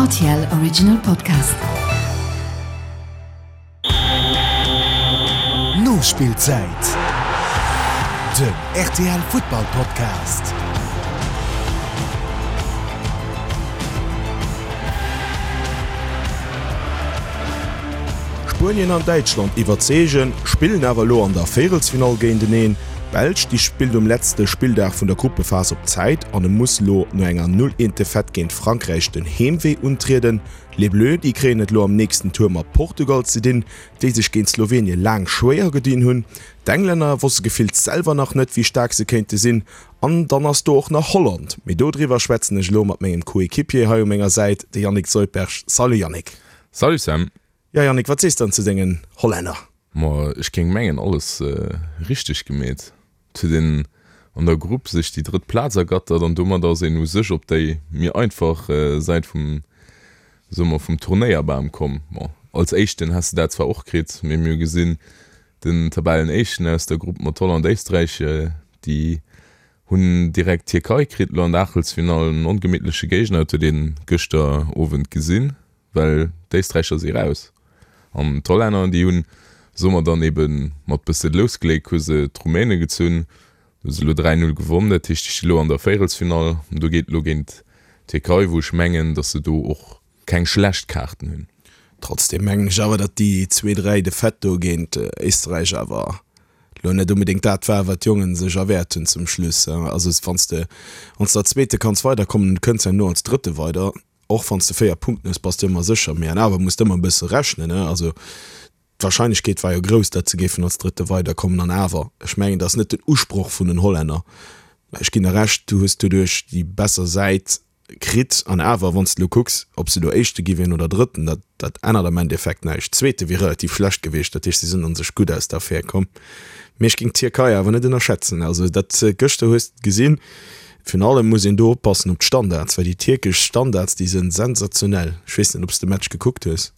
RTL Original Podcast. Nospillzäit, den rtl Futtball Podcast. Spuenien an Däitschland iwwerzeegen, spillen awer elo an der Véierelsfinall géinteneen. D'Belsch, déi spillt um letzte Spilldag vun der Gruppephas op Zäit an e muss lo no enger 0, 1 Defaite géint Frankräich den Heemwee untrieden. Les Bleus, déi kréien et lo am nächsten Tour mat Portugal ze dinn, déi sech géint Slowenien laang schwéier gedinn hunn. D'Englänner wosse gefillt selwer nach net, wéi staark se kéinte sinn. An dann ass do och nach Holland. Mee dodriwwer schwätzen ech elo mat mengem Coéquipier hei u menger Säit, de Yannick Soldberg. Salut Yannick. Salut Sam. Jo Yannick, wat sees dann zu dengen Hollänner? Ma ech géing mengen alles richteg gemeet. Et huet een an der Grupp sech déi drëtt Plaz ergattert an domat ass een u sech op déi méi einfach Säit vum, soe mer, vum Turnéierbam komm. Bon, als Éischten häss de dat zwar och kritt, mee mir hu gesinn, den Tabellenéischten aus der Grupp mat Holland, Éisträich, déi hunn direkt d'Tierkei kritt elo an der Aachtelsfinall, en ongemittleche Géigner, dat huet ee gëschter Owend gesinn. Well d'Éisträicher si raus an d'Hollänner, déi hunn, soe mer dann ebe mat bësse Lousgléck, hu se d'Rumäne gezunn, hu se elo 3, 0 gewonn. Dat heescht, déi sti lo an der Véierelsfinall an do geet elo géint d'Tierkei, wou ech mengen, datt se do och keng schlecht Kaarten hunn. Trotzdeem mengen ech awer, datt déi zwee, 3 Defaite do géint Éisträich awer elo net onbedéngt dat war, wat d'Jongen sech erwäert hunn zum Schluss. Also wann s de als Zweete kanns weiderkommen, du kënns herno als Drëtte weider, Och wann s de 4 Punkten hues, bass de ëmmer sécher, mee an awer muss de ëmmer e bësse rechnen, ne? Also d'Warscheinlechkeet war jo grouss, datt se géifen als Drëtte weiderkommen. An awer, ech mengen, dat ass net den Usproch vun den Hollänner. Ech ginn der Recht, du hues doduerch déi besser Säit kritt. An awer, wann s de elo kucks, ob se elo Éischte gi wieren oder Drëtten, dat, dat ännert am Endeffekt näischt. Zweete wier relativ schlecht gewiescht, dat heescht, si sinn a sech gutt aus der Affär komm. Mee ech géing d'Tierkei awer net ënnerschätzen. Also dat gëschter hues de gesinn. Virun allem muss een do oppassen op d'Standards, well déi tierkesch Standards, déi sënn sensationell. Ech weess net, ob s de Match gekuckt hues.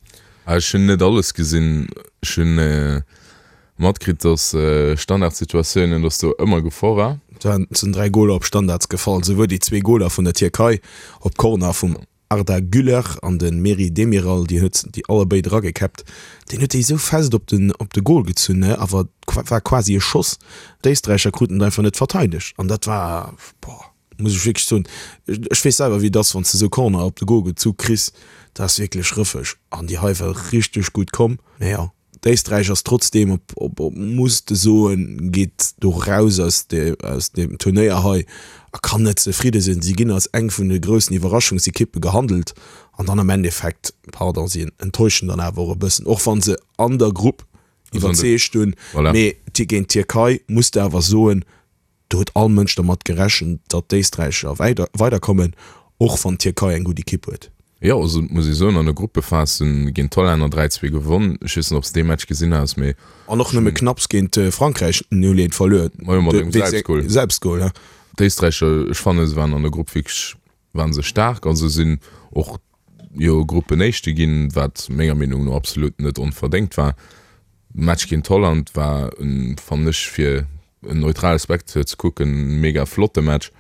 Ech hunn net alles gesinn. Ech hunn matkritt, dass Standardsituatiounen, dass do ëmmer Gefor war. Et sinn 3 Goler op Standards gefall, souwuel déi zwee Goler vun der Tierkei op Corner vum Arda Güler an de Merih Demiral, déi huet déi allerbéid eragekäppt. Deen huet déi esou fest op den op de Gol gezunn, ne, awer war quasi e Schoss. D'Éisträicher kruten et einfach net verteidegt an dat war, boah, muss ech wierklech soen, ech weess selwer wéi et ass, wann s de esou Corner op de Gol gezu kriss, dat ass wierklech rëffeg an déi hei war richteg gutt komm. Mee jo. D'Éisträich ass trotzdeem op, op, op, muss de soen, geet do raus aus de, aus deem Turnéier hei a kann net zefridde sinn. Si ginn als eng vun de groussen Iwwerraschungsekippe gehandelt an dann am Endeffekt, pardon, si enttäuschen dann awer och e bëssen, och wa se an der Grupp iwwerzeegt hunn. Voilà. Mee géint d'Tierkei muss de awer soen, Do huet all Mënsch dermat gerechent, datt d'Éisträicher weiderkommen, och wann d'Tierkei eng gutt Ekipp huet. Jo, also et muss ee soen, an der Gruppephas hunn géint d'Hollänner 3, 2 gewonn. Ech weess net, ob s de dee Match gesinn has, mee. An och nëmme knapps géint Frankräich 0, 1 verluer. Majo, mat engem Selbstgol. Selbstgol, ja. D'Éisträicher, ech fannen, se waren an der Grupp wierklech, waren se staark. Also sinn och jo Gruppenéischte ginn, wat menger Meenung no absolut net onverdéngt war. De Match géint Holland war, fannen ech, fir en neutrale Spectateur ze kucken, e mega flotte Match.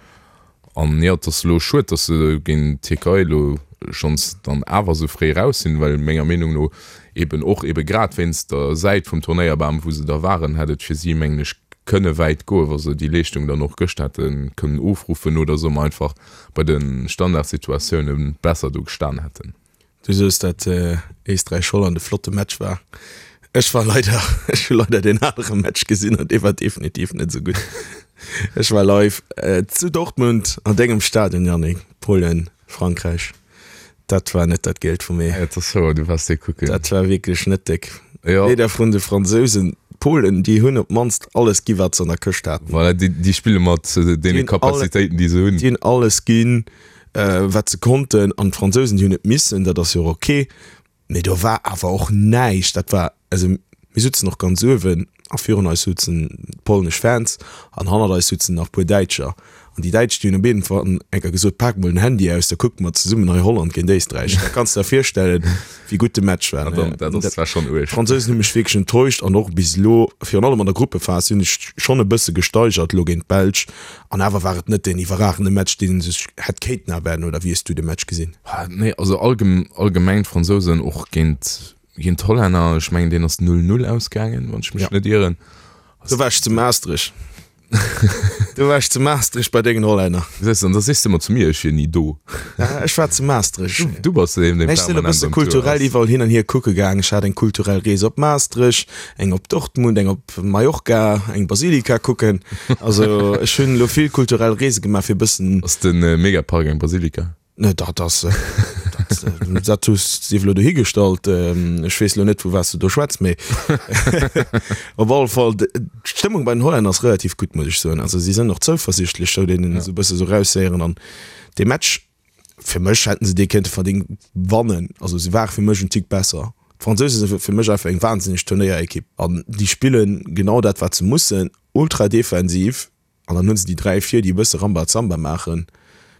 An jo, et ass elo schued, datt se géint d'Tierkei elo schonns dann awer esou fréi raus sinn, well menger Meenung no eben och ebe grad wéinst der Säit vum Turnéierbam, wou se da waren, hätt et fir si, mengen ech, kënne wäit goen, wa se déi Leeschtung dann och gëscht hätte kënnen ofruffen oder soe mer einfach bei de Standardsituatioune besser do gestan hätten. Du soos dat Éisträich-Holland e flotte Match war. Ech war leider, ech hu leider deen anere Match gesinn an dee war definitiv net esou gutt. Ech war live zu Dortmund an dengem Stadion, Yannick, Polen, Frankräich. Dat war net dat Gielt vum Ee. Et ass wouer, du waars dee kucken. Dat war wierklech net déck. Jo. Weder vun de Fransousen, d'Polen, déi hunn op d'mannst alles gi wat se an der Këscht haten. Voilà, déi, déi spille mat deene Kapazitéiten, déi se hunn. Déi hunn alles ginn. Wat se konnten, an d'Fransousen, déi hunn et missen, dat ass jo och ok, mee do war awer och näischt. Dat war, also mir sutzen och ganz uewen a virun eis sutzen d'polnesch Fans an hannert eis sutzen nach e puer Däitscher. An déi Däitsch, déi hunn op jeden Fall eng Kéier gesot, Pak mol den Handy aus, da kucke mer zesummen hei Holland géint Éisträich. Da kanns de der virstellen, wéi gutt de Match war. Dat ass zwar schonn uerg. D'Fransousen hu mech wierklech enttäuscht an och bis elo, virun allem an der Gruppephas, si hunn sech schonn e bësse gesteigert elo géint d'Belsch. An awer war et net deen iwwerragende Match, deen ee sech hätt kéinten erwaarden. Oder wéi hues du de Match gesinn? Nee, also allgemeng d'Fransousen och géint d'Hollänner, ech mengen deen ass 0, 0 ausgaangen, wann ech mech net ieren. Do war ech zu Maastricht. Du war ech zu Maastricht bei dengen Hollänner. Gesäis de, an da sees de ëmmer zu mir, ech wier ni do. Ja, ech war zu Maastricht. Du, du bass deen, deen Ech sinn e permanent bësse am Tour kulturell ass. iwwerall hin an hier kucke gaang. Ech hat eng kulturell Rees op Maastricht, eng op Dortmund, eng op Mallorca, eng Basilika kucken. Also ech hunn elo vill kulturell Reese gemaach, fir e bëssen. Ass de Megapark eng Basilika? Ne, dat ass, dat, dat hues sief elo dohigestallt. Ech weess elo net, vu wat s de do schwätz, mee op alle Fall, d'Stëmmung bei den Hollänner ass relativ gutt, muss ech soen. Also si sinn och zouversichtlech, sou deenen esou e bësse sou raushéieren. An dee Match, fir mech hätten se dee kéinte verdéngt wannen. Also se ware fir mech en Tick besser. D'Fransouse si fir mech einfach eng wahnsinneg Turnéierekipp an déi spillen genau dat, wat se mussen, ultra defensiv. An dann hu se déi 3 vir, déi e bësse Rambazamba maachen.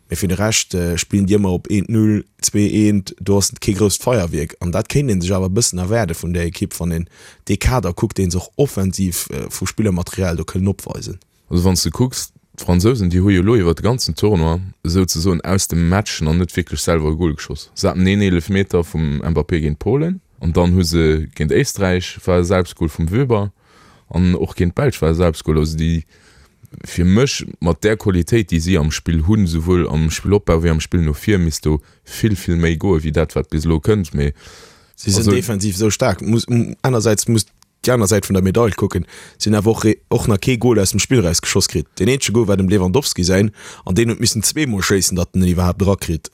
Mee fir de Rescht spillen déi ëmmer op eent Null, zwee eent. Do ass kee grousst Feierwierk. An dat kéint ee sech awer e bëssen erwaarde vun där Ekipp, wann een dee Kader kuckt, dee se och offensiv vu Spillermaterial do kënnen opweisen. Also wann s de kucks, d'Fransousen, déi hu jo elo iwwer de ganzen Tournoi souzesoen aus dem Match nach net wierklech selwer e Gol geschoss. Se haten een Eelefmeter vum Mbappé géint Polen an dann hu se géint Éisträich war e Selbstgol vum Wöber. An och géint d'Belsch war e Selbstgol. Also déi, fir mech, mat där Qualitéit, déi si am Spill hunn, souwuel am Spillopbau wéi am Spill no vir, misst do vill, vill méi goe wéi dat, wat bis elo kënnt. Mee Si sinn defensiv esou staark. Muss, anersäits muss déi aner Säit vun der Medail kucken, si hunn awer och, och nach kee Gol aus dem Spill eraus geschoss kritt. Deen eenzege Gol war dem Lewandowski säin an deen huet missen zweemol schéissen, datt en en iwwerhaapt erakritt.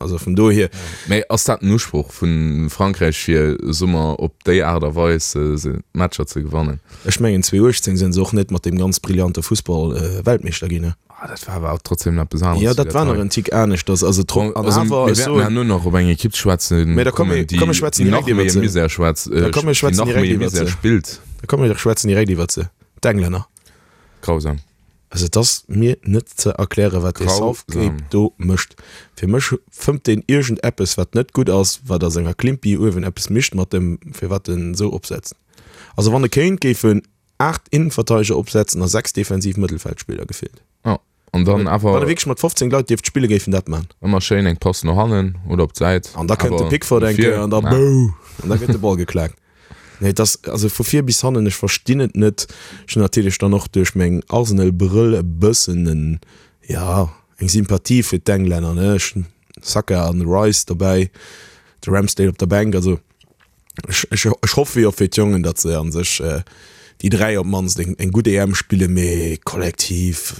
Also vun dohier. Mee ass dat den Usproch vu Frankräich fir, soe mer, op déi Aart a Weis d'Matcher ze gewannen? Ech mengen 2018 sinn se och net mat deem ganz brillante Fussball Weltmeeschter ginn, ne? Ah, dat war awer trotzdem eppes aneres. Jo, dat war nach en Tick aneschters. Also tro an awer, mir wäerten herno nach op eng Ekipp schwätzen Mee da komm kommen, mir, komm mir schwätzen déi nach direkt méi iwwert se. Misär schwätzt, Da komm mir déi schwätzen nach direkt méi iwwert Misär se. spillt. Da komm mir schwätzen direkt iwwert se, d'Englänner. Grausam. Also et ass mir net ze erklären, wat dee Southgate do mécht. Fir mech fëmmt deen iergend eppes, wat net gutt ass, wat a senger Klimpi uewen eppes mischt mat dem, firwat en esou opsetzt. Also wann e kéint, géif en 8 Innenverteideger opsetzen a 6 defensiv Mëttelfeldspiller gefillt. Jo, an dann awer. Wann e wierklech mat 15 Leit dierft spillen, géif en dat man. Ëmmer schéin eng Pass no hannen oder op d'Säit. An da kënnt de Pickford eng Kéier an da bouh! An da gëtt de Ball geklaakt. Nee, et ass also vu vir bis hannen, ech verstinn et net. Ech hunn natierlech dann och duerch meng Arsenal-Brëll e bëssen en, ja, eng Sympathie fir d'Englänner, ne. Ech hunn Saka an Rice dobäi, de Ramsdale op der Bänk. Also ech, ech, ech hoffe jo fir d'Jongen, datt se a sech déi 3 op d'mannst eng, eng gutt EM spillen, mee kollektiv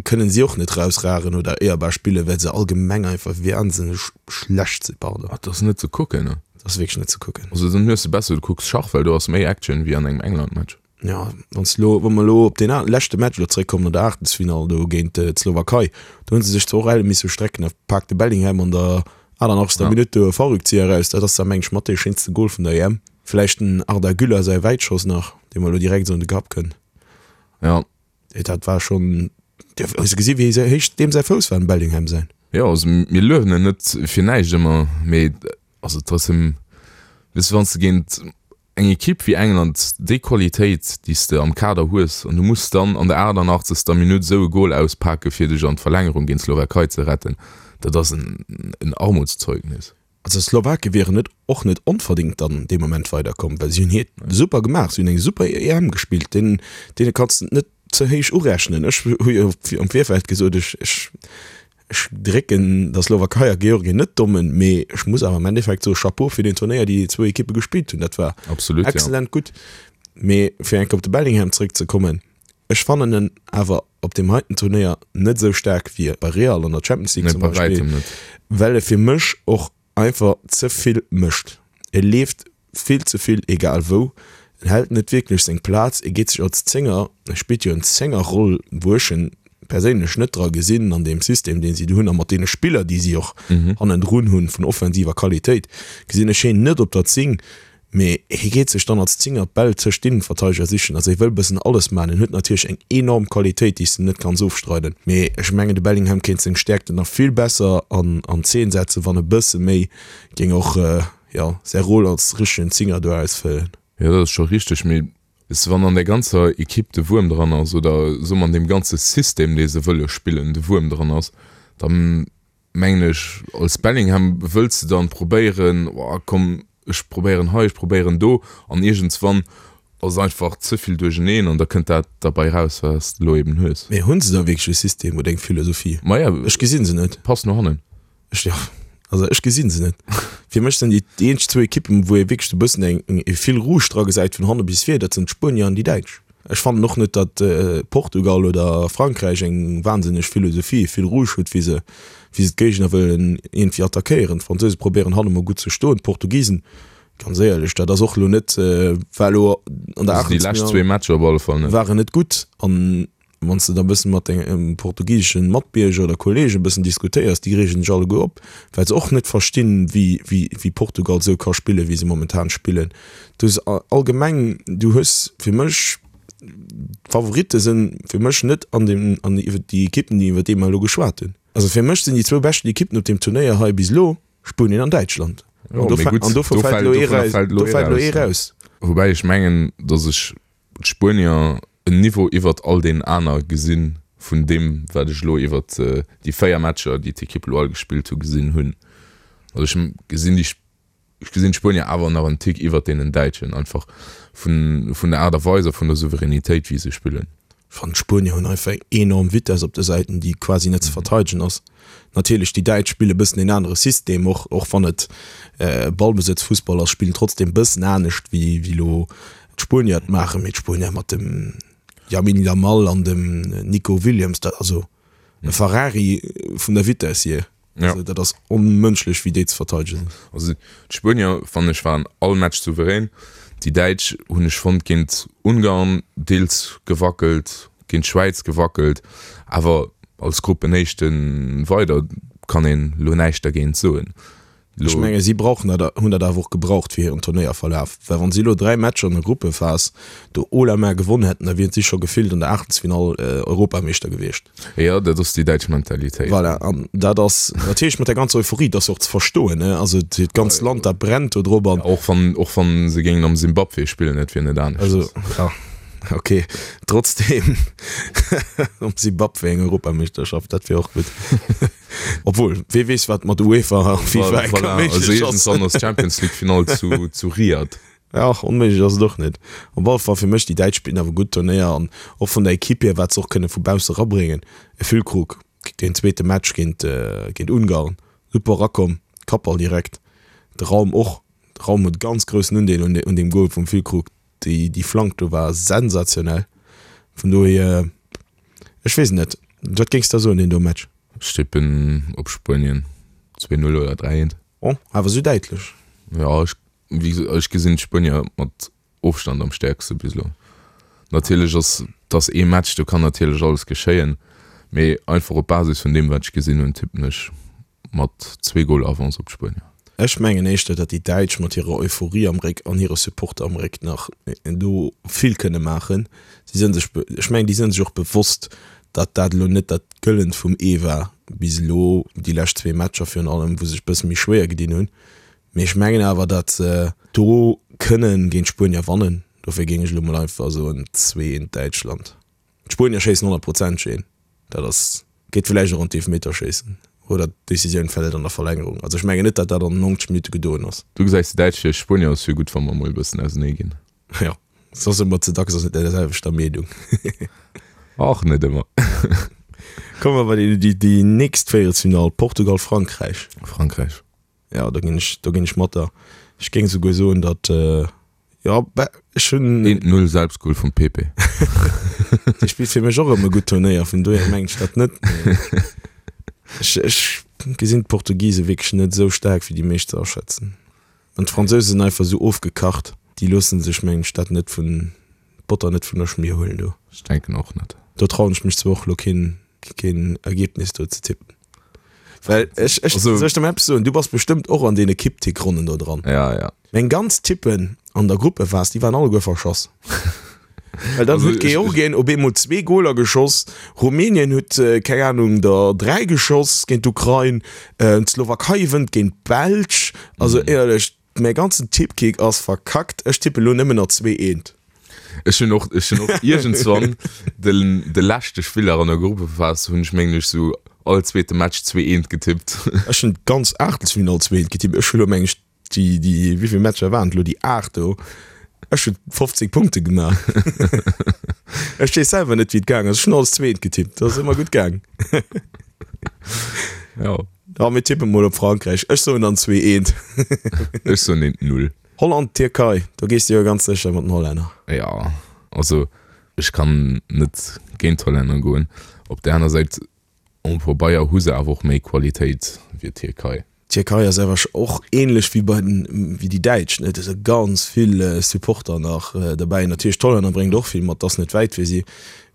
kënnen si och net rausragen oder éierbar spillen, well se allgemeng einfach wahnsinneg schlecht sinn, pardon. Et ass net ze kucken, ne. Dat ass wierklech net ze kucken. Also dann hues de besser du kucks Schach, well do ass méi Action wéi an engem England-Match. Jo, wanns de lo, wa mer elo op deen leschte Match elo zeréckkommen an der Aachtelsfinall do géint d'Slowakei, do hu se sech zwar och elle misse strecken, da paakt de Bellingham an der 88. Ja. Minutt do e Fallrückzieher eraus. Dat ass da meng ech mat dee schéinste Gol vun der EM. Vläicht den Arda Güler säi Wäitschoss nach, dee mer elo direkt esou an de Kapp kënnt. Ja. Dat war schonn, hues de gesi wéi héich deem säi Fouss war, dem Bellingham säin? Jo, also mir luewen en net fir näischt ëmmer, mee Also trotzdem, weess de, wann s de géint eng Ekipp wéi England déi Qualitéit, déi s de am Kader hues, an du muss dann an der 88. Minutt esou e Gol auspake fir dech an d'Verlängerung géint d'Slowakei ze retten, dat ass en Armutszeugnis. Also d'Slowake wieren net och net onverdingt dann dee Moment weiderkomm, well si hunn hiert super gemaach, si hunn eng super EM gespillt, deenen deene kanns de et net ze héich urechnen. Ech hu jo am Virfeld gesot, ech ech Ech drécken der Slowakei a Georgien net d'Dommen, mee ech muss awer am Endeffekt soe Chapeau fir den Turnéier, déi déi zwou Ekippe gespillt hunn. Dat war Absolut, ja. exzellent gutt. Mee fir eng Kéier op de Bellingham zréckzekommen, ech fannen en awer op deem heiten Turnéier net esou staark wéi bei Real an der Champions League Nee, zum bei Beispill, wäitem net. well e fir mech och einfach ze vill mécht. E leeft vill ze vill egal wou, en hält net wierklech seng Plaz, e geet sech als Zénger, e spillt jo en Zéngerroll, wou ech en perséinlech net dra gesinn an deem System deen si do hunn a mat deene Spiller déi si och hannendrun hunn vun offensiver Qualitéit, gesinn ech hien net op der 10. Mee hie geet sech dann als Zinger d'Bäll tëscht d'Innenverteideger sichen. Also hie wëll bëssen alles maachen. En huet natierlech eng enorm Qualitéit, déi s de net kanns ofstreiden. Mee ech mengen, de Bellingham kéint seng Stäerkten nach vill besser an an Zeen setzen, wann e bësse méi géing och, jo, säi Rôle als richtegen Zinger do ausfëllen. Jo, dat ass scho richteg. Mee weess de, wann an der ganzer Ekipp de Wuerm dran ass, oder soe mer an deem ganze System, dee se wëlle spillen, de Wuerm dran ass, da mengen ech, als Bellingham wëlls de dann probéieren, oh komm, ech probéieren hei, ech probéieren do, an iergendswann ass et einfach ze vill duercheneen an da kënnt dat derbei raus, wat s de elo eben hues. Mee hunn se da wierklech e System oder eng Philosophie? Maja, Ech gesinn se net. Pass no hannen. Ech, jo, also ech gesinn se net. Fir mech sinn déi déi eenzeg zwou Ekippen, wou ee wierklech esou e bëssen eng, e Fil rouge dra gesäit vun hanne bis vir, dat sinn d'Spuenier an déi Däitsch. Ech fannen och net, datt Portugal oder Frankräich eng wahnsinneg Philosophie, e Fil rouge huet, wéi se, wéi se d'Géigner wëllen iergendwéi attackéieren. D'Fransouse probéieren hanne mol gutt ze stoen, d'Portugisen, ganz éierlech, dat ass och elo net, war elo an der Also déi lescht zwee Matcher op alle Fall net. Waren net gutt. An Wann s de da bëssen mat denge portugiseschen Matbierger oder Kollegen bëssen diskutéiers, déi reegen sech alleguer op, well se och net verstinn, wéi, wéi, wéi Portugal esou ka spillen, wéi se momentan spillen. Du hues allgemeng, du hues fir mech, d'Favoritte sinn fir mech net an deem, an iwwer déi Ekippen, déi iwwer déi mer elo geschwat hunn. Also fir mech sinn déi zwou beschten Ekippen op deem Turnéier hei bis elo Spuenien an Däitschland. Jo, mee gutt, an dovun fält elo ee raus. Woubäi ech mengen, datt ech d'Spuenier en Niveau iwwert all deenen aner gesinn, vun deem wat ech elo iwwert déi 4 Matcher, déi d'Ekipp elo all gespillt hu, gesinn hunn. Also ech gesinn déi, ech gesinn d'Spuenier awer nach en Tick iwwert deenen Däitschen, einfach vun vun der Aart a Weis a vun der Souveränitéit wéi se spillen. Ech fannen d'Spuenier hunn einfach eng enorm Vitess op de Säiten, déi quasi net ze verteidegen ass. Natierlech déi Däitsch spille bëssen een anere System, och och wann et Ballbesëtzfussball ass, spillen trotzdem bëssen anescht wéi wéi elo d'Spuenier et maachen. Mee d'Spuenier mat dem Lamine Yamal an dem Nico Williams, dat also e Ferrari vun der Vitess hier. Ja. Also dat ass onmënschlech wéi déi ze verteidegen sinn. Also d'Spuenier fannen ech waren all Match souverän. Déi Däitsch hunn ech fonnt géint Ungarn deels gewackelt, géint d'Schwäiz gewackelt, awer als Gruppenéischte weider kann een elo näischt dergéint soen. Ech menge si brauchen dat, hunn dat awer och gebraucht fir hiren Turnéierverlaf, well wann si elo 3 Matcher an der Gruppephas do haut la main gewonn hätten, da wieren si scho gefillt an der Aachtelsfinall Europameeschter gewiescht. Jo, dat ass déi däitsch Mentalitéit. Voilà, an dat ass natierlech mat der ganzer Euphorie, dat ass jo och ze verstoen, ne, also dat ganzt Land dat brennt do drop an. Och wann, och wann se géingen am Simbabwe spillen, et wier net aneschters. Also, ja, okay, trotzdem am Simbabwe eng Europameeschterschaft, dat wier och gutt. Obwuel, wee weess wat mat UEFA a FIFA eng Kéier méiglech ass. Also iergendwann ass d'Champions League Finall zu, zu Riyadh. Ja, onméiglech ass et och net. Op alle Fall fir mech, déi Däitsch spillen awer gutt Turnéier an och vun der Equipe hier, wat se och kënne vu bausse rabréngen. E Füllkrug, deen zweete Match géint, géint Ungarn, super erakomm, Kappball direkt, de Raum och, de Raum huet e ganz groussen Undeel un, un deem Goal vum Füllkrug, déi, déi Flank do war sensationell. Vun dohier, ech weess et net, wat géings de soen, deen do Match? Ech tippen op Spuenien, 2, 0 oder 3, 1. Oh, awer sou däitlech? Jo, ech, wéi gesot, ech gesinn d'Spuenier mat Ofstand am stäerkste bis elo. Natierlech ass et ass ee Match, do kann natierlech alles geschéien, mee einfach op Basis vun deem wat ech gesinn hunn, tippen ech mat zwee Goler Avance op d'Spuenier. Ech mengen éischter, datt déi Däitsch mat hirer Euphorie am Réck an hire Supporter am Réck nach do vill kënne maachen. Si sënn sech, ech mengen, déi sënn sech och bewosst, datt dat elo net dat Gëllent vum Ee war bis elo, déi lescht zwee Matcher virun allem, wou se sech e bësse méi schwéier gedinn hunn. Mee ech mengen awer, datt se do kënnen géint d'Spuenier wannen. Dofir géing ech elo mol einfach soen, 2, 1 Däitschland. D'Spuenier schéissen honnertprozenteg een. Dat ass, geet villäicht och an d'Eefmeterschéissen oder d'Decisioun fält an der Verlängerung. Also ech mengen net, datt dat an 90 Minutte gedoen ass. Du gesäis déi Däitsch vir, Spuenier ass jo gutt, wa mer emol e bëssen ausenee ginn. Jo, soss ëmmer ze dacks ass et der selwechter Meenung. Och net ëmmer. Komme mer bei déi, déi nächst Véierelsfinall, Portugal-Frankräich. Frankräich. Jo, do ginn ech, do ginn ech mat der. Ech géing souguer soen, datt, jo, bah, ech hunn. Eent Null Selbstgol vum Pepe. Dee spillt fir mech och ëmmer e gutt Turnéier, vun dohier mengen ech dat net. Mee ech, ech gesinn d'Portugise wierklech net esou staark, wéi déi meescht se aschätzen. An d'Fransouse sinn einfach esou ofgekacht, déi loosse sech, mengen ech, dat net vun, d'Botter net vun der Schmier huelen do. Ech denken och net. Do trauen ech mech zwar och elo keen, keen Ergebnis do ze tippen. Well ech, ech, also, soll ech der mal eppes soen? Du bass bestëmmt och an deene Kipptick-Ronnen do dran. Ja, ja. Meng ganz Tippen. An der Gruppephas, déi waren alleguer verschoss. Well dann huet Georgien op eemol zwee Goler geschoss, Rumänien huet, keng Anung, der 3 geschoss géint d'Ukrain, d'Slowakei wënnt géint d'Belsch. Also éierlech, mäi ganzen Tippkick ass verkackt. Ech tippe lo nëmmen nach 2, 1. Ech hunn och, ech hunn och iergendswann de, de leschte Spiller an der Gruppephas hunn ech mengen ech sou all zweete Match 2, 1 getippt. Ech hunn d'ganz Aachtelsfinall 2, 1 getippt. Ech hu lo mengen ech Déi, déi, wéi vill Matcher waren et elo? Déi 8 do. Ech hunn 15 Punkte gemaach. Ech weess selwer net, wéi et gaang ass. Ech hunn alles zweet getippt. Dat ass ëmmer gutt gaang. Ja. Ja, mir tippe mol op Frankräich. Ech soen dann 2, 1. Ech soen 1, 0. Holland, Tierkei, do gees de jo ganz sécher mat den Hollänner. Ja, also ech kann net géint d'Hollänner goen. Op där aner Säit Um Pabeier hu se awer och méi Qualitéit wéi d'Tierkei. D'Tierkei ass awer och ähnlech wéi bei den, wéi déi Däitsch, ne, do si ganz vill Supporter nach derbäi. Natierlech d'Hollänner bréngt och vill mat, ass net wäit fir si,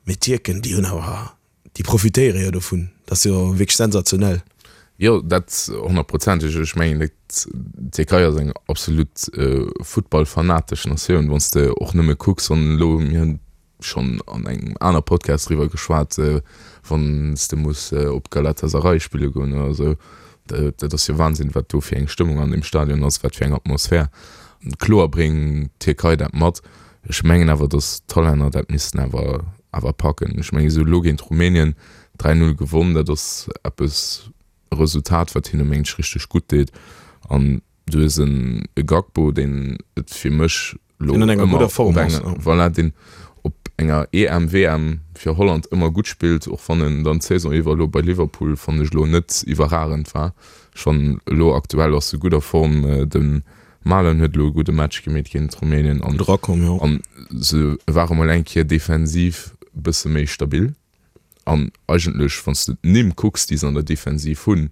mee d'Tierken déi hunn awer, déi profitéiere jo dovun, dat ass jo wierklech sensationell. Jo, dat honnertprozenteg. Ech mengen, d'Tierkei ass eng absolut futtballfanatesch Natioun, wann s de och nëmme kucks, wann elo, mir hunn schonn an engem aner Podcast driwwer geschwat, wann s de muss op Galatasaray spille goen oder esou, dat ass jo Wahnsinn, wat do fir eng Stëmmung an deem Stadion ass, wat fir eng Atmosphär. Kloer bréngt d'Tierkei dat mat. Ech mengen awer, datt d'Hollänner dat missten awer awer packen. Ech mengen, se hu lo géint Rumänien 3, 0 gewonn, dat ass eppes, e Resultat, wat hinne mengen ech richteg gutt deet. An du hues en Gakpo, deen et fir mech lo Deen an enger gudder Form ass, ja. Voilà, deen op enger EM, WM fir Holland ëmmer gutt spillt, och wann en dann d'Saison iwwer elo bei Liverpool, fannen ech, elo net iwwerragend war. Ech fannen elo aktuell ass e gudder Form. De Malen huet elo e gudde Match gemeet géint Rumänien an Gutt erakomm, jo. an se ware mol eng Kéier defensiv e bësse méi stabil. An eigentlech, wann s de d'Nimm kucks, déi se an der Defensiv hunn,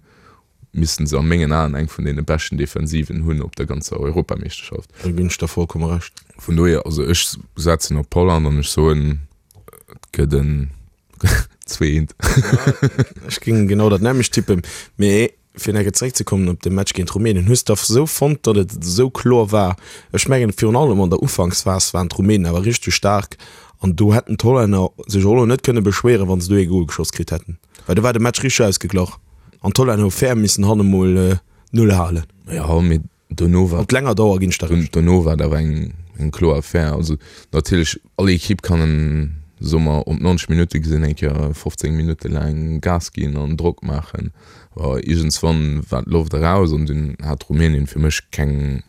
missten se a mengen Aen eng vun deene beschten Defensiven hunn op der ganzer Europameeschterschaft. Do ginn ech der vollkomme Recht. Vun dohier, also ech setzen op Holland an ech soen, et gëtt en 2, 1. Ech géing genau dat nämmlecht tippen. Mee fir nach eng Kéier zeréckzekommen op de Match géint Rumänien, Hues de esou fonnt, datt et esou kloer war? Ech mengen, virun allem an der Ufanksphas waren d'Rumänen awer richteg staark an do hätten d'Hollänner sech och elo net kënne beschwéieren, wa se do ee Gol geschoss kritt hätten. Well do war de Match richteg ausgeglach an d'Hollänner hu fair missen hanne mol d'Null halen. Jo, mee dono war. Op länger Dauer ginn ech der Recht. Dono war et awer eng, eng kloer Affär. Also natierlech, all Ekipp kann en, soe mer, op 90 Minutte gesinn eng Kéier 15 Minutte laang Gas ginn an Drock maachen. Awer iergendswann war d'Loft eraus an dunn hat Rumänien fir mech keng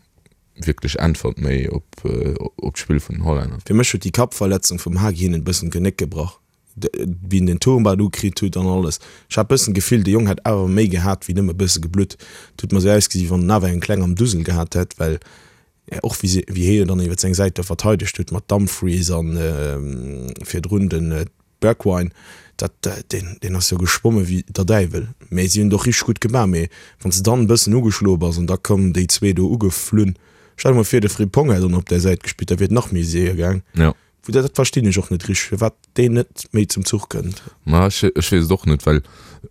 wierklech Äntwert méi op, op d'Spill vun den Hollänner. Fir mech huet déi Kappverletzung vum Hagi hinnen e bëssen d'Genéck gebrach. wéi en den Turmband ukritt huet an alles. Ech hat bëssen d'Gefill, de Jong hätt awer méi gehat wéi nëmme bësse geblutt. Et huet mer sou ausgesi wéi wann en awer eng kleng am Dusel gehat hätt, well och wéi se, wéi hie dann iwwer seng Säit do verteidegt huet mat Dumfries an virdrun de Bergwijn, dat, deen, deen ass jo geschwomme wéi der Däiwel. Mee si hunn et och richteg gutt gemaach. Mee wann s de dann e bëssen ugeschloe bass an da kommen déi zwee do ugeflunn, stell der mol vir, de Frimpong hätt dann op där Säit gespillt, da wier et nach méi séier gaang. Jo. Wou dat verstinn ech och net richteg, firwat deen net méi zum Zuch kënnt. Ma ech ech weess et och net, well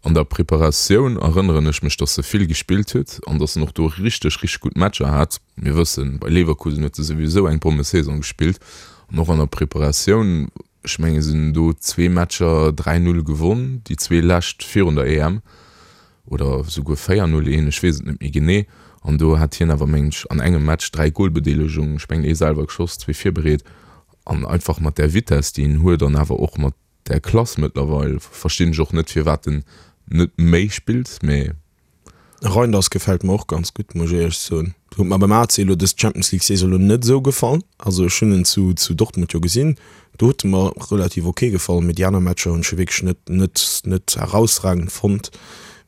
an der Preparatioun erënneren ech mech, datt e vill gespillt huet an datt en och do richteg, richteg gutt Matcher hat. Mir wëssen, bei Leverkusen huet e souwisou eng Bommesaison gespillt an och an der Preparatioun, ech mengen se hunn do zwee Matcher 3, 0 gewonn, déi zwee lescht virun der EM. oder souguer 4, 0, 1, ech weess et net méi genee, an do hat hien awer mengen ech an engem Match 3 Golbedeelegungen, ech mengen ee selwer geschoss, zwee virbereet, an einfach mat där Vitess déi en huet an awer och mat där Klass mëttlerweil, verstinn ech och net firwat en net méi spillt, mee. Reinders gefält mer och ganz gutt, muss ech éierlech soen. Huet mer beim AC elo dës Champions League Saison elo net esou gefall. Also ech hunn en zu zu Dortmund jo gesinn, Do huet e mer relativ ok gefall, mee déi aner Matcher hunn ech jo wierklech net net net herausragend fonnt.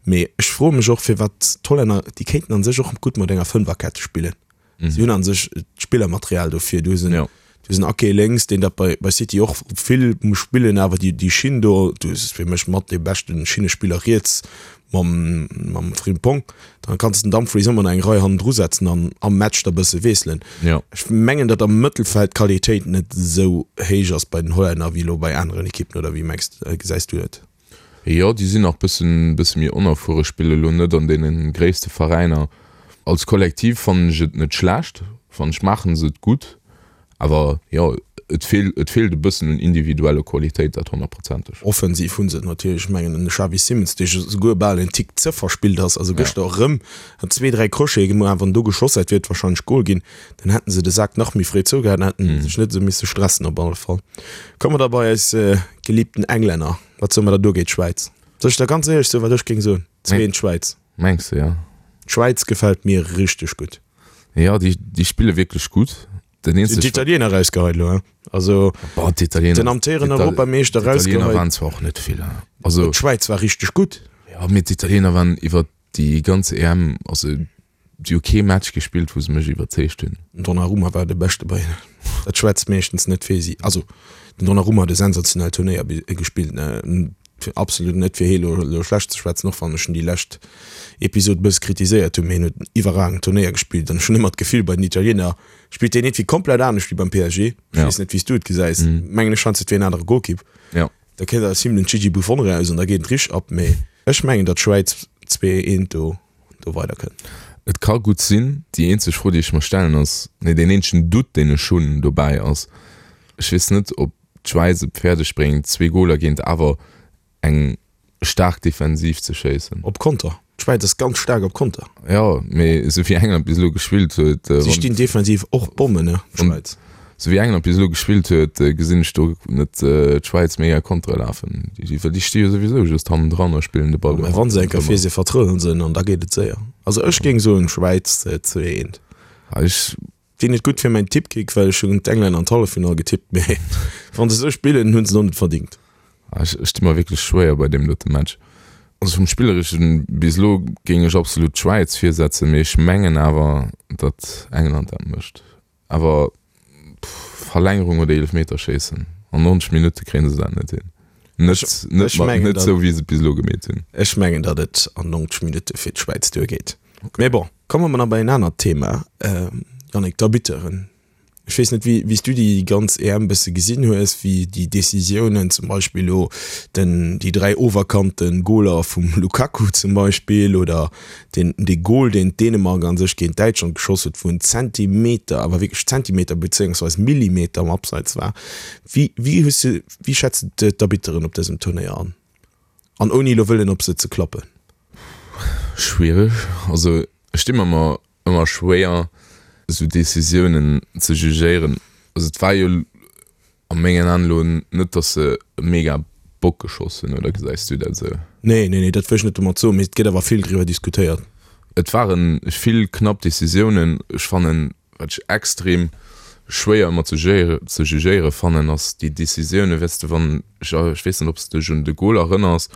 Mee ech froe mech och firwat d'Hollänner, déi kéinten an sech och gutt mat enger Fënferkette spillen. Si hunn an sech d'Spillermaterial dofir. Du hues en du hues en Ake lénks, deen dat bei bei City och vill muss spillen, awer déi déi Schinn do, du hues fir mech mat dee beschten Schinnespiller riets mam mam Frimpong. Dann kanns de den Dumfries ëmmer nach eng Rei hannendru setzen an am Match da bësse wiesselen. Ja. Ech mengen, datt am Mëttelfeld d'Qualitéit net esou héich ass bei den Hollänner wéi elo bei aneren Ekippen, oder wéi mengs, gesäis du et? Jo, déi sinn nach bëssen bësse méi onerfuere, spille lo net an deene gréisste Veräiner. Als Kollektiv fannen ech et net schlecht. Fannen ech maachen se et gutt, awer jo et feelt et feelt e bëssen un individuelle Qualitéit, dat honnertprozenteg. Offensiv hunn se et natierlech, ech mengen den Xavi Simons dee souguer bal en Tick ze verspillt ass, also gëschter erëm hat zwee, dräi Crochete gemaach, wann do geschoss hätt wier et wahrscheinlech Gol ginn, dann hätten se de Sak nach méi fréi zougehat an hätten sech net esou misse stressen op alle Fall. Komme mer da bei eis geliebten Englänner, wat soe mer da do géint d'Schwäiz? Soll ech der ganz éierlech soen wat ech géing soen? 2, d'Schwäiz. Mengs de, jo? D'Schwäiz gefält mir richteg gutt. Jo, déi, déi spille wierklech gutt. Den eenzeg. D'Italiener erausgeheit elo, hein? Also, Boah, d'Italiener. Den amtéierenden Europameeschter erausgeheit. D'Italiener waren zwar och net vill, hein? Also. D'Schwäiz war richteg gutt. Jo, mee d'Italiener waren iwwer déi ganz EM, also, si hu kee Match gespillt, wou se mech iwwerzeegt hunn. Den Donnarumma war de Beschte bei hinnen. Dat schwätzt meeschtens net fir si. Also, den Donnarumma huet e sensationellt Turnéier gespillt, ne? Absolut net fir hee lo schlecht ze schwätzen, och wann ech en déi lescht Episod e bësse kritiséiert hunn, mee hien huet en iwwerragend Turnéier gespillt an ech hunn ëmmer d'Gefill, bei den Italiener spillt hien iergendwéi komplett anescht wéi beim PSG. Ech weess net, wéi s du et gesäis. Mengen ech scheinst et wier en anere Golkipp. Da kënnt aus him den Gigi Buffon eraus an da geet et richteg ab. Mee ech mengen, datt d'Schwäiz 2, 1 do do weiderkënnt. Et ka gutt sinn. Déi eenzeg Fro, déi ech mer stellen ass, nee, deen eenzegen Doute, deen ech hunn dobäi ass, ech weess net, ob d'Schwäiz et fäerdeg bréngt, zwee Goler géint awer eng staark Defensiv ze schéissen. Op Konter. D'Schwäiz ass ganz staark op Konter. Jo, mee esou wéi England bis elo gespillt huet. Si stinn defensiv och Bommen, ne, d'Schwäiz. Esou wéi England bis elo gespillt huet, gesinn ech do net d'Schwäiz mega Kontere lafen. Well déi sti jo souwisou just hannendran a spillen de Ball. Mä wa se eng Kéier vir si vertrëllen se en an da geet et séier. Also ech géing soen, Schwäiz 2, 1. Ech Wier net gutt fir mäin Tippkick, well ech hunn d'Englänner an d'Halleffinall getippt, mee wann se sou spillen, hunn se et och net verdingt. Ech sti mer wierklech schwéier bei deem dote Match. Also vum Spillereschen bis elo géing ech absolut d'Schwäiz virsetzen, mee ech mengen awer, datt England dat mécht. Awer Verlängerung oder Eelefmeterschéissen an 90 Minutte kréie se dat net hin. Net, net, net sou wéi se et bis elo gemeet hunn. Ech mengen, datt et an 90 Minutte fir d'Schwäiz duergeet. Mee bon, komme mer nach bei en anert Thema, Yannick, d'Arbitteren. Ech weess net, wéi s du déi ganz EM bësse gesinn hues, wéi déi Decisiounen, zum Beispill elo den, déi 3 oferkannte Goler vum Lukaku zum Beispill oder den, dee Gol, deen d'Dänemark a sech géint Däitschland geschoss huet, wou en Zentimeter, awer wierklech Zentimeter bezéiungsweis Millimeter am Abseits war. Wéi, wéi hues du, wéi schätz de d'Arbitteren op dësem Turnéier an? An ouni elo wëllen op se ze klappen. Schwiereg. Also ech di mer ëmmer ëmmer schwéier esou Decisiounen ze jugéieren. Also et war jo a mengen Aen elo net, datt se e mega Bock geschoss hunn, oder gesäis du dat esou? Nee, nee, nee, dat wëll ech net domat soen, mee et gëtt awer vill driwwer diskutéiert. Et ware vill knapp Decisiounen. Ech fannen Wat ech extrem schwéier ëmmer ze ze jugéiere fannen, ass déi Decisioune, weess de, wann, ech weess net, ob s de dech un de Gol erënners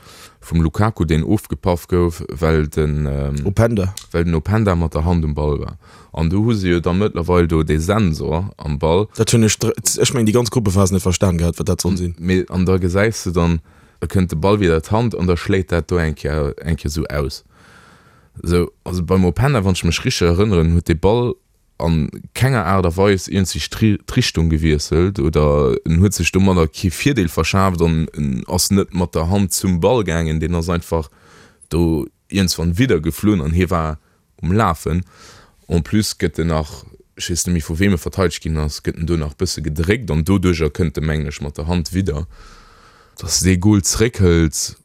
vum Lukaku, deen ofgepaff gouf, well den Openda, well den Openda mat der Hand um Ball war. An do hu se jo da mëttlerweil do dee Sensor am Ball. Dat hunn ech, ech mengen déi ganz Gruppephas net verstan gehat, wat dat soll sinn. Mee an da gesäis de dann, da kënnt de Ball wieder d'Hand an da schléit dat do eng Kéier, eng Kéier esou aus. Sou, also beim Openda, wann ech mech richteg erënneren, huet dee Ball a kenger Aart a Weis iergendwéi d'Richtung gewiesselt oder en huet sech domadder kee Virdeel verschaaft an en ass net mat der Hand zum Ball gaangen, deen ass einfach do iergendswann widder geflunn an hie war um Lafen. En plus gëtt en nach, ech weess net méi vu weem e verteidegt ginn ass, gëtt en do nach bësse gedréckt an doduercher kënnt e mengen ech mat der Hand widder. Dass dee Gol zeréckhëlt,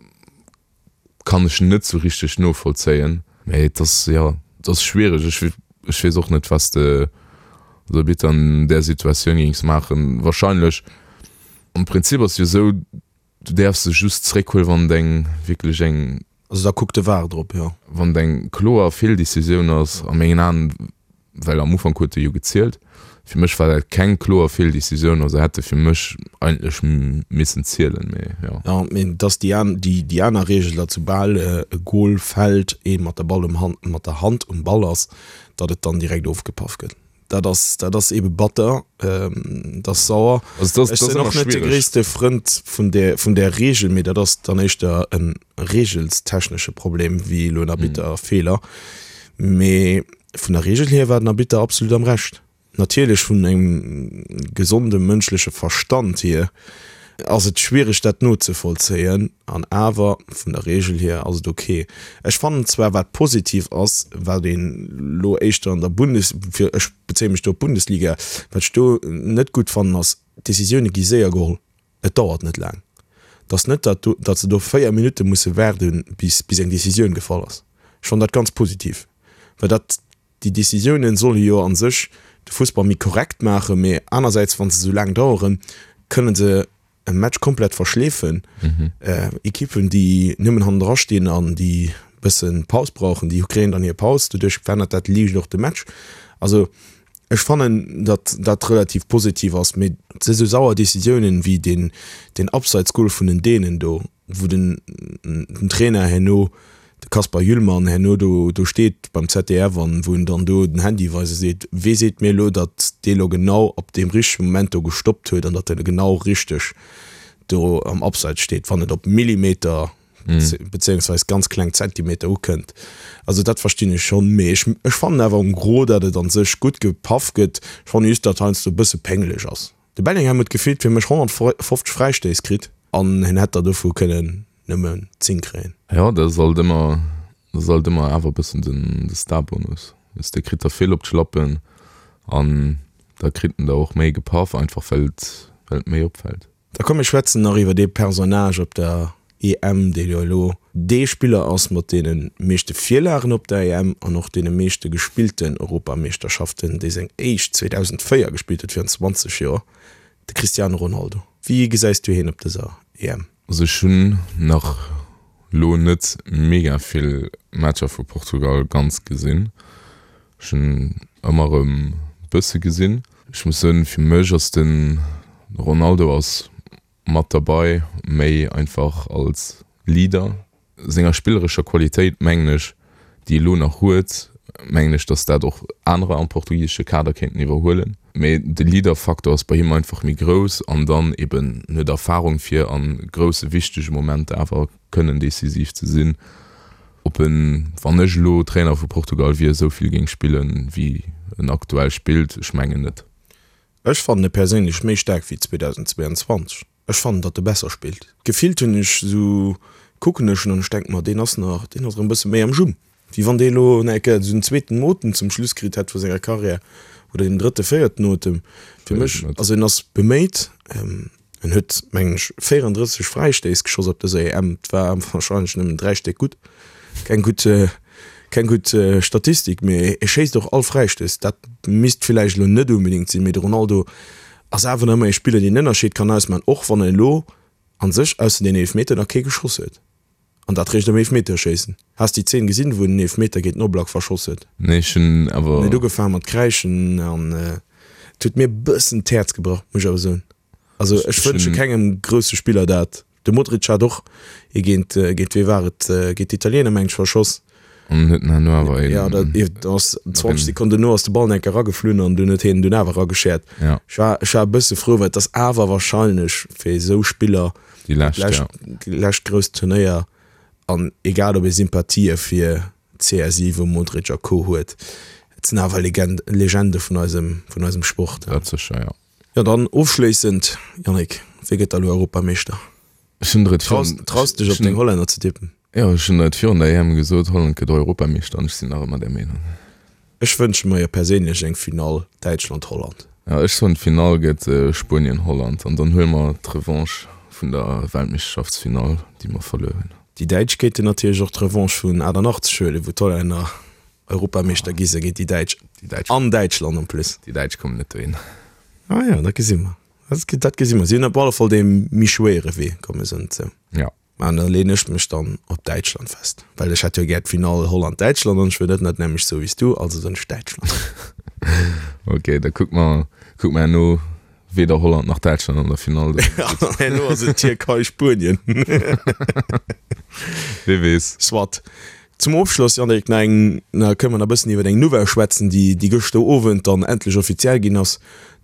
Kann ech net sou richteg novollzéien, mee et ass, jo, et ass schwiereg. Ech, ech weess och net, was de als Arbitter an där Situatioun géings maachen. Wahrscheinlech, am Prinzip ass jo sou, du däerfs se just zréckhuelen, wann et eng wierklech eng. Also da kuckt de VAR drop, jo. Wann et eng kloer Feeldecisioun ass, a mengen Aen well am Ufank huet e jo gezielt. Fir mech war dat keng kloer Feeldecisioun, also hätt e fir mech eigentlech missen zielen, mee jo. Jo, mee et ass déi an, déi, déi aner Reegel, datt soubal e Gol fält, ee mat der Ball um Hand, mat der Hand um Ball ass, datt et dann direkt ofgepaff gëtt. Dat ass, dat ass eebe batter, dat ass sauer. Also dat ass, Ech dat ass sinn ëmmer och net de schwiereg. gréisste Frënd vun där, vun där Reegel, mee dat ass dann éischter e reegelstechnesche Problem wéi elo en Arbitterfeeler. Mee Vun der Regel hier war den Arbitter absolut am Recht. Natierlech vun engem gesonde mënschleche Verstand hier. Ass et schwiereg dat nozevollzéien an awer vun der Reegel hier ass et ok. Ech fannen zwar wat positiv ass, wat een lo éischter an der Bundes, fir ech bezéie mech do op d'Bundesliga, wat ech do net gutt fannen ass, d'Decisioune gi séier geholl, et dauert net laang. Et ass net dat do, datt se do 4 Minutte musse waarde bis bis eng Decisioun gefall ass. Ech fannen dat ganz positiv, well dat Déi Decisiounen solle jo a sech de Fussball méi korrekt maachen, mee anersäits, wa se esou laang daueren, kënne se e Match komplett verschleefen. Ekippen, déi nëmmen hannendra stinn an déi e bësse Paus brauchen, déi kréien dann hir Paus. Doduerch verännert dat liicht och de Match. Also ech fannen, datt dat relativ positiv ass, mee et si sou sauer Decisiounen wéi deen Abseitsgol vun den Dänen do, wou den den Trainer herno, de Kasper Hjulmand, herno do do steet beim ZDF an wou en dann do den Handy weist a seet, wee seet mir elo, datt dee lo genau op deem richtege Moment do gestoppt huet an datt en genau richteg do am Abseits steet, wann et op Millimeter bezéiungsweis ganz kleng Zentimeter ukënnt. Also dat verstinn ech schonn, mee ech ech fannen awer en gros, datt et an sech gutt gepaff gëtt. Ech fanne just, datt heiansdo e bësse péngeleg ass. De Bellingham huet gefillt fir mech 150 Fräistéiss kritt an hien hätt der dovu kënnen nëmmen 10 kréien. Jo, dat ass alt ëmmer, dat ass alt ëmmer awer e bëssen den de Starbonus. Weess de, kritt der vill op d'Schlappen an da kritt en der och méi gepaff, einfach well et, well et méi opfält. Da komm mir schwätzen nach iwwer ee Personnage op der EM, dee jo elo dee Spiller ass mat deene meeschte Virlagen op der EM an och deene meeschte gespillten Europameeschterschaften, dee seng éischt 2004 gespillt huet, virun 20 Joer, de Cristiano Ronaldo. Wéi gesäis du hien op dëser EM? Also ech hunn nach lo net mega vill Matcher vu Portugal ganz gesinn. Ech hunn ëmmer erëm bësse gesinn. Ech muss soen, fir mech ass de Ronaldo ass mat derbei, méi einfach als Leader. Senger spillerescher Qualitéit mengen ech, déi e lo nach huet, mengen ech, datt dat och anerer am portugisesche Kader kéinten iwwerhuelen. Mee de Leader-Faktor ass bei him einfach méi grouss an dann eben en huet Erfarung fir a grousse wichtege Momenter awer kënnen decisiv ze sinn. Ob en, wann ech elo Trainer vu Portugal wier, esou vill géing spillen, wéi en aktuell spillt, ech mengen net. Ech fannen e perséinlech méi staark wéi 2022. Ech fannen datt e besser spillt. Gefillt hunn ech esou, kucken ech en an ech denken mer, deen ass nach, deen ass erëm e bësse méi am Jumm. Wéi wann dee elo nach eng Kéier esou en zweeten Otem zum Schluss kritt hätt vu senger Karriär oder deen drëtte, véierten Otem. Fir mech, also en ass beméit, en huet mengen ech 34 Fräistéiss geschoss op dëser EM, et war warscheinlech nëmmen 3 Stéck gutt, keng gutt, keng gutt Statistik, mee e schéisst och all Fräistéiss. Dat misst villäicht elo net onbedéngt sinn, mee de Ronaldo ass awer nach ëmmer ee Spiller, deen en Ënnerscheed kann ausmaachen, och wann en elo a sech ausser deen Eelefmeter nach kee geschoss huet. An dat réischt am Eelefmeterschéissen. Has déi Zeen gesinn, wou en den Eelefmeter géint den Oblak verschoss huet? Nee, ech hunn awer. En huet ugefaangen mat kräischen an et huet mir e bëssen d'Häerz gebrach, muss ech awer soen. Also ech wënsche kengem grousse Spiller dat. De Modric hat och ee géint, géint wee war et, géint d'Italiener mengen ech, verschoss. An huet en herno awer een. Ja, dat ass 20 Sekonnen dono ass de Ball enke erageflunn an dunn huet hien en dunn awer erageschäert. Ja. Ech war, ech war e bësse frou, well et ass awer wahrscheinlech fir esou Spiller déi lescht, lescht, ja. lescht grousst Turnéier an egal ob ee Sympathië fir CR7, Modric a Co huet, et sinn awer Legend, Legende vun eisem, vun eisem Sport. Dat sécher, ja. Jo, dann ofschléissend, Yannick, wie gëtt da elo Europameeschter? Ech hunn der et Traus, virun, traus dech op deng Hollänner ze tippen? Jo, ech hunn der et virun der EM gesot, Holland gëtt Europameeschter an ech sinn nach ëmmer där Meenung. Ech wënsche mer jo perséinlech eng Finall Däitschland-Holland. Jo, ech soen d'Finall gëtt Spuenien-Holland an dann huele mer d'Revanche vun der Weltmeeschterschaftsfinall, déi mer verluer hunn. Déi Däitsch kéinten natierlech och d'Revanche vun 88 huelen, wou d'Hollänner Europameeschter gi se géint déi Däitsch an Däitschland en plus. Déi Däitsch kommen net dohin. Ah jo, dat gesi mer. Dat gesi mer. Si hunn op alle Fall dee méi schwéiere Wee, komme se net sou. Ja. An da leeën ech mech dann op Däitschland fest, well ech hätt jo gär d'Finall Holland-Däitschland an ech wëll net net nämlech sou wéi s du, also soen ech Däitschland. Ok, da kucke mer, kucke mer herno weder Holland nach Däitschland an der Finall. Herno ass et Tierkei-Spuenien. Wie weess. Soit. Zum Ofschloss, Yannick, nach eng, na kënne mer nach e bëssen iwwer eng Nouvelle schwätzen, déi, déi gëschter Owend dann endlech offiziell ginn ass.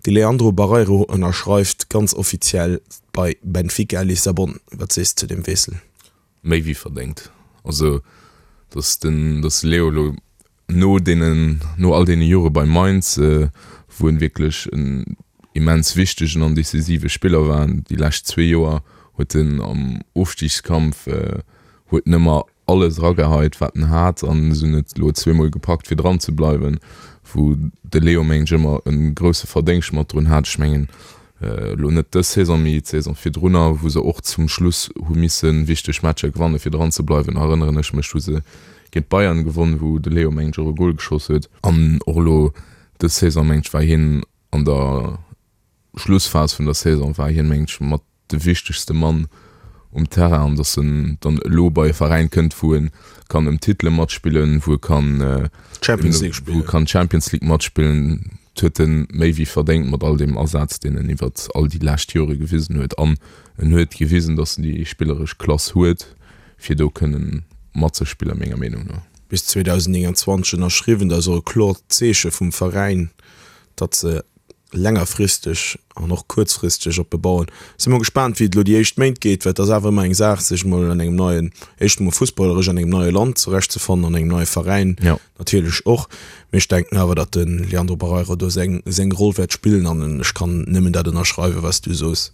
De Leandro Barreiro ënnerschreift ganz offiziell bei Benfica Lissabon. Wat sees de zu deem Wiessel? Méi wéi verdéngt. Also, datt den, datt de Leo elo no deenen, no all deene Jore bei Mainz, wou en wierklech en. immens wichtegen an decisive Spiller war. Déi lescht zwee Joer huet en am Ofstigskampf huet en ëmmer alles erageheit wat en hat an se hunn et elo zweemol gepackt fir dran ze bleiwen, wou de Leo mengen ech ëmmer e grousse Verdéngscht mat drun hat. Ech mengen elo net dës Saison, mee d'Saison virdrunner, wou se och zum Schluss hu misse wichteg Matcher gewanne fir dran ze bleiwen, erënneren ech mech, hu se géint d'Bayern gewonn, wou de Leo mengen ech och e Gol geschoss huet. An och elo dës Saison mengen ech war hien an der Schlussphas vun der Saison war hien mengen ech mat de wichtegste Mann um Terrain an datt en dann elo bei e Veräin kënnt, wou e kann ëm Titele matspillen, wou e kann Champions League spillen, wou e kann Champions League matspillen, dat huet en méi wéi verdéngt mat all deem Asaz, deen en iwwer all déi lescht Jore gewisen huet. An en huet gewisen, datt en déi spilleresch Klass huet, fir do kënnen matzespillen, menger Meenung no. Bis 2029 ënnerschriwwen, dat ass och e kloert Zeeche vum Veräin, datt se längerfristeg an och kuerzfristeg op e bauen. Si mol gespaant wéi et elo déi éischt Méint geet, well et ass awer ëmmer eng Saach sech mol an engem neien, éischt emol fussballeresch an engem neie Land zurecht ze fannen, an engem neie Veräin natierlech och. Mee ech denken awer, datt de Leandro Barreiro do seng seng Roll wäert spillen an ech kann nëmmen dat ënnerschreiwen, wat s du sos,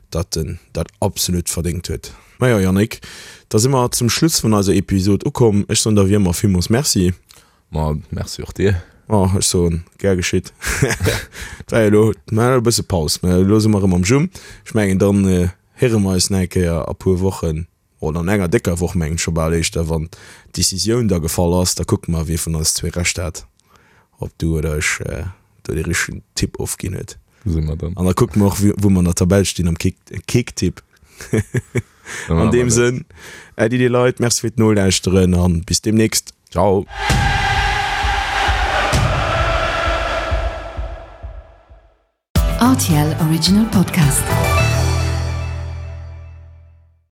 datt en dat absolut verdéngt huet. Majo Yannick, da si mer zum Schluss vun eiser Episod ukomm. Ech soen der wéi ëmmer villmools Merci. Ma merci och dir. Oh, ech soen, gär geschitt. Et war jo elo, mer haten e bësse Paus, mä elo si mer erëm am Jumm. Ech mengen, dann héiere mer eis nach eng Kéier a puer Wochen, oder an enger décker Woch mengen ech scho bal éischter, wann d'Decisioun da gefall ass. Da kucke mer, wie vun eis zwee Recht hat, ob du oder ech do dee richtegen Tipp ofginn huet. Gesi mer dann. An da kucke mer och, wou mer an der Tabell stinn am Kicktipp. An deem Sënn, Äddi dir Leit, Merci fir d'Nolauschteren an bis deemnächst. Ciao. RTL Original Podcast.